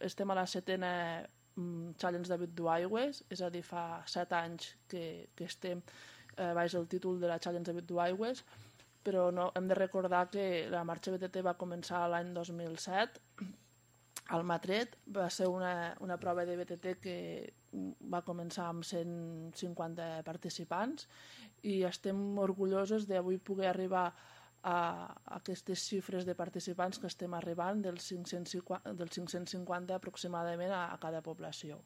estem a la 7a Challenge David d'Aigües, és a dir, fa 7 anys que estem baix el títol de la Challenge David d'Aigües, però no, hem de recordar que la marxa BTT va començar l'any 2007 al Matret. Va ser una prova de BTT que va començar amb 150 participants i estem orgullosos d'avui poder arribar a aquestes xifres de participants que estem arribant, dels 550 aproximadament a cada població.